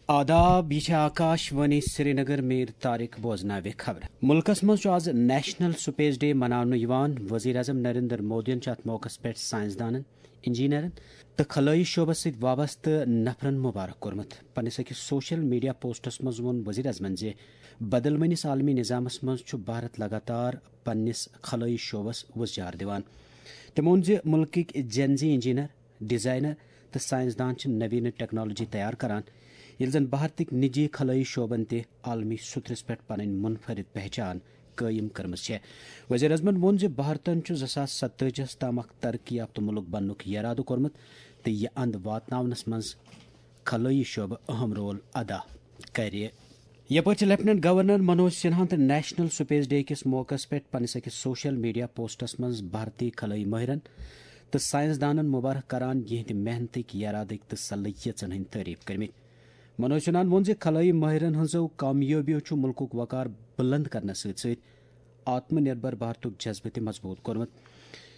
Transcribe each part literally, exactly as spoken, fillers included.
آداب، یہِ چھِ آکاش وانی سرینگر، میر طارق بوزناوِ خبرٕ۔ مُلکَس منٛز چھُ آز نیشنل سپیس ڈے مناونہٕ یِوان۔ وزیر اعظم نریندر مودیَن چھُ اَتھ موقعَس پٮ۪ٹھ سائنسدانَن، انجینئرن تہٕ خلٲیی شعبَس سۭتۍ وابستہٕ نفرَن مبارک کوٚرمُت۔ پننِس أکِس سوشل میڈیا پوسٹَس منٛز ووٚن وزیر اعظمَن زِ بدلوٕنِس عالمی نظامَس منٛز چھُ بھارت لگاتار پننِس خلٲیی شعبَس وُژھ جار دِوان۔ تٔمۍ ووٚن زِ مُلکٕکۍ جین زی انجینئر، ڈیزائنر تہٕ سائنسدان چھِ نوینہٕ ٹیکنالوجی تیار کران، ییٚلہِ زن بھارتٕکۍ نجی خلٲیی شعبن تہِ عالمی سطرس پٮ۪ٹھ پنٕنۍ منفرد پہچان قٲیِم کٔرمٕژ چھےٚ۔ وزیر اعظمن ووٚن زِ بھارتن چھُ زٕ ساس ستٲجی ہَس تام اکھ ترقی یافتہٕ مُلک بننُک یرادٕ کوٚرمُت تہٕ یہِ اند واتناونس منٛز خلٲیی شعبہٕ اہم رول ادا کرِ۔ یپٲرۍ چھِ لیفٹیننٹ گورنر منوج سنہاہن تہٕ نیشنل سپیس ڈے کِس موقعس پٮ۪ٹھ پننِس أکِس سوشل میڈیا پوسٹس منٛز بھارتی خلٲیی مٲہرن تہٕ سائنسدانن مبارک کران یِہنٛدِ محنتٕکۍ، یرادٕکۍ تہٕ صلٲحیژن ہٕنٛدۍ تعریف کٔرمٕتۍ۔ منوج سنہاہن ووٚن زِ خلٲیی مٲہرن ہٕنٛزو کامیٲبیو چھُ مُلکُک وقار بُلند کرنس سۭتۍ سۭتۍ آتم نربھر بھارتُک جذبہٕ تہِ مضبوٗط کوٚرمُت۔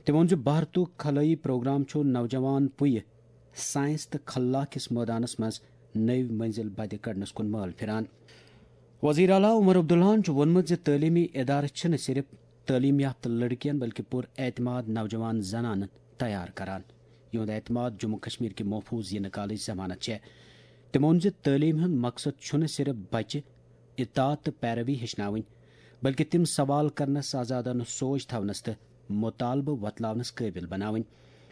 تٔمۍ ووٚن زِ بھارتُک خلٲیی پروگرام چھُ نوجوان پُیہِ سائنس تہٕ خلا کِس مٲدانس منٛز نٔوۍ منزل بدِ کڑنس کُن مٲل پھران۔ وزیر اعلیٰ عمر عبداللہن چھُ ووٚنمُت زِ تعلیمی ادارٕ چھِنہٕ صرف تعلیم یافتہٕ لڑکین بلکہ پر اعتماد نوجوان زنانن تیار کران، یِہُنٛد اعتماد جموں کشمیر کہِ محفوظ یِنہٕ کالٕچ ضمانت چھےٚ۔ تٔمۍ ووٚن زِ تعلیٖم ہُنٛد مقصد چھُنہٕ صرف بچہِ اطاعت تہٕ پیروی ہیٚچھناوٕنۍ، بلکہِ تِم سوال کرنس، آزادانہٕ سوچ تھاونس تہٕ مطالبہٕ وۄتلاونس قٲبِل بناوٕنۍ۔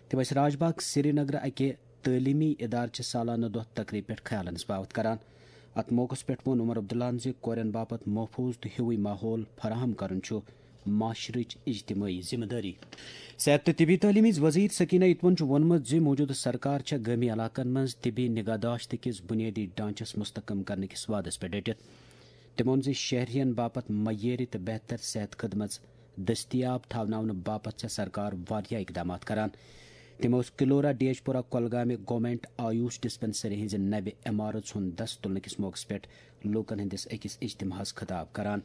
تِم ٲسۍ راج باغ سرینگرٕ اکہِ تعلیمی ادارٕ چہِ سالانہٕ دۄہ تقریب پٮ۪ٹھ خیالن ہٕنٛز باوتھ کران۔ اتھ موقعس پٮ۪ٹھ ووٚن عمر عبداللہن زِ کورٮ۪ن باپتھ محفوظ تہٕ ہیوٗوٕے ماحول فراہم کرُن چھُ معاشرٕچ اجتمٲعی ذمہٕ دٲری۔ صحت تہٕ طبی تعلیٖم ہٕنٛز وزیر سکینہ اتون چھُ ووٚنمُت زِ موجودٕ سرکار چھےٚ گٲمی علاقن منٛز طبی نگہداشت کِس بنیٲدی ڈھانچس مستحکم کرنہٕ کِس وعدس پٮ۪ٹھ ڈٔٹِتھ۔ تٔمۍ ووٚن زِ شہرین باپتھ معیٲری تہٕ بہتر صحت خدمت دٔستیاب تھاوناونہٕ باپتھ چھےٚ سرکار واریاہ اقدامات کران۔ تٔمۍ اوس کلورا ڈیجپورہ کۄلگامہِ گورنمنٹ آیوش ڈسپنسری ہٕنٛزِ نوِ عمارژ ہُنٛد دس تُلنہٕ کِس موقعس پٮ۪ٹھ لوٗکن ہٕنٛدِس أکِس اجتماعس خطاب کران۔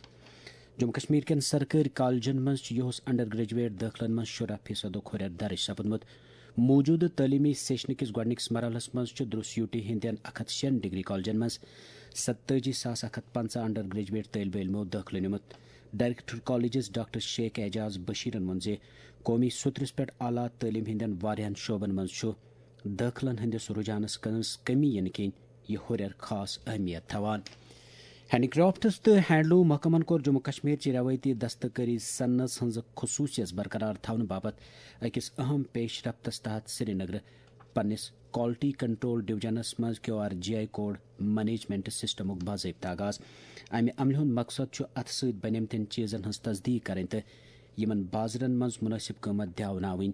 جموں کشمیر کٮ۪ن سرکٲرۍ کالجن منٛز چھُ یِہُس انڈر گریجویٹ دٲخلن منٛز شُراہ فیصدُک ہُرٮ۪ر درج سپُدمُت۔ موجودٕ تعلیمی سیشن کِس گۄڈٕنِکِس مرحلس منٛز چھُ دروس یوٗ ٹی ہٕنٛدٮ۪ن اکھ ہتھ شیٚن ڈگری کالجن منٛز ستٲجی ساس اکھ ہتھ پنٛژاہ انڈر گریجویٹ طٲلبہِ علمو دٲخلہٕ نیوٗمُت۔ Director colleges doctor Sheikh Ajaz بشیرن ووٚن زِ قومی سطرس پٮ۪ٹھ اعلیٰ تعلیٖم ہٕنٛدٮ۪ن واریاہن شعبن منٛز چھُ دٲخلن ہٕنٛدِس رجحانس منٛز کمی یِنہٕ کِنۍ یہِ ہُرٮ۪ر خاص اہمیت تھاوان۔ ہینڈی کرافٹس تہٕ ہینڈلوم محکمن کوٚر جموں کشمیر چہِ روایتی دستکٲری صنعژ ہٕنٛز خصوٗصیژ برقرار تھاونہٕ باپتھ أکِس اہم پیش رفتس تحت سرینگرٕ پننِس کوالٹی کنٹرول ڈویژنس منٛز Q R G I code management سسٹمُک باضٲبطہٕ آغاز۔ امہِ عملہِ ہُنٛد مقصد چھُ اتھٕ سۭتۍ بنیمتٮ۪ن چیزن ہٕنٛز تصدیق کرٕنۍ تہٕ یِمن بازرن منٛز مناسب قۭمتھ دیاوناوٕنۍ۔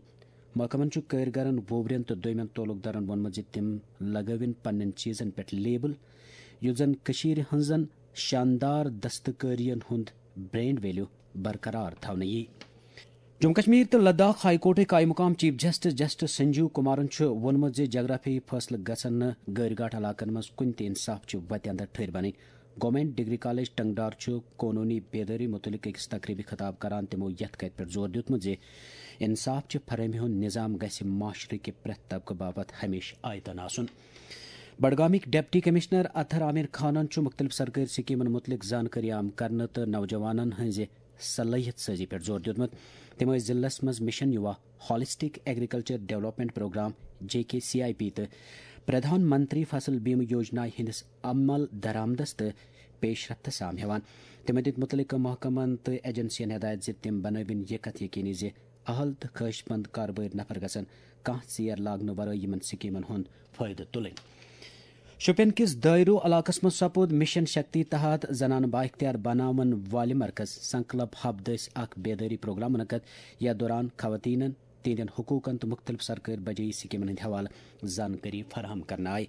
محکمن چھُ کٲرۍ گرن، ووورٮ۪ن تہٕ دویمٮ۪ن تعلق دارن ووٚنمُت زِ تِم لگٲوِن پننٮ۪ن چیزن پٮ۪ٹھ لیبل، یُتھ زن کٔشیٖرِ ہٕنٛزن شاندار دستکٲرین ہُنٛد برانڈ ویلیو برقرار تھاونہٕ یی۔ جموں کشمیر تہٕ لداخ ہائی کورٹٕکۍ قائم مقام chief justice justice Sanjeev Kumaran چھُ ووٚنمُت زِ جغرافیائی فٲصلہٕ گژھن نہٕ گٲرۍ گاٹھ علاقن منٛز کُنہِ تہِ انصاف چہِ وتہِ اندر ٹھٔہرۍ بنٕنۍ۔ گورنمنٹ ڈگری کالج ٹنگڈار چھُ قونوٗنی بیدٲری مُتعلق أکِس تقریبہِ خطاب کران۔ تِمو یَتھ کَتھِ پٮ۪ٹھ زور دیُتمُت زِ انصاف چہِ فراہمی ہُنٛد نظام گژھِ معاشرٕ کہِ پرٛٮ۪تھ طبقہٕ باپتھ ہمیشہٕ آیتن آسُن۔ بڈگامٕکۍ ڈپٹی کمشنر اطہر عامر خانن چھُ مُختٔلِف سرکٲرۍ سکیمن مُتعلق زانکٲری عام کرنہٕ تہٕ نوجوانن ہٕنٛزِ صلٲحیت سٲزی پٮ۪ٹھ زور دیُتمُت۔ تِم ٲسۍ ضلعس منٛز mission Yuva, holistic agriculture development programme, J K C I P, تہٕ پردھان منتری فصل بیمہ یوجنا ہٕنٛدِس عمل درآمدس تہٕ پیش رفتس سام ہٮ۪وان۔ تِمو دِتۍ مُتعلقہٕ محکمن تہٕ ایجنسین ہدایت زِ تِم بنٲوِن یہِ کتھ یقینی زِ اہل تہٕ خواہش مند کاربٲرۍ نفر گژھن کانٛہہ ژیر لاگنہٕ ورٲے یِمن سکیمن ہُنٛد فٲیدٕ تُلٕنۍ۔ شوپین کِس دٲیرو علاقس منٛز سپُد مشن شکتی تحت زنانہٕ بااختیار بناون والہِ مرکز سنکلپ ہب دٔسۍ اکھ بیدٲری پروگرام منعقد، یتھ دوران خواتینن، تہنٛدٮ۪ن حقوقن تہٕ مُختٔلِف سرکٲرۍ بجٲیی سکیمن ہٕنٛدِ حوالہٕ زانکٲری فراہم کرنہٕ آیہِ۔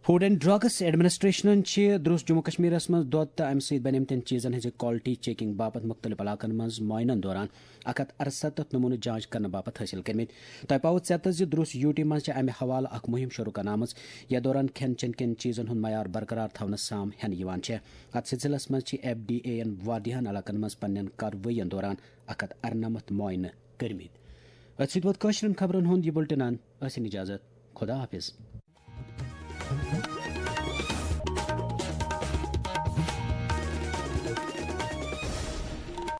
فوڈ اینڈ ڈرگس ایڈمنسٹریشنن چھِ درُس جموں کشمیرس منٛز دۄد تہٕ امہِ سۭتۍ بنیمتٮ۪ن چیزن ہٕنٛزِ کوالٹی چیکنگ باپتھ مُختٔلِف علاقن منٛز معاینن دوران اکھ ہتھ ارستتھ نمونہٕ جانچ کرنہٕ باپتھ حٲصِل کٔرمٕتۍ۔ تۄہہِ پاوو ژٮ۪تس زِ درُس یوٗ ٹی منٛز چھِ امہِ حوالہٕ اکھ مُہِم شروع کرنٲومٕژ، یتھ دوران کھٮ۪ن چٮ۪ن کٮ۪ن چیزن ہُنٛد معیار برقرار تھاونس سام ہٮ۪نہٕ یِوان چھےٚ۔ اتھ سلسلس منٛز چھِ ایف ڈی اے ین واریاہن علاقن منٛز پننٮ۪ن کاروٲیین دوران اکھ ہتھ ارنمتھ معاینہٕ کٔرمٕتۍ۔ أتھۍ سۭتۍ ووت کٲشرٮ۪ن خبرن ہُنٛد یہِ بُلٹن۔ ٲسِن اجازت۔ خدا حافظ۔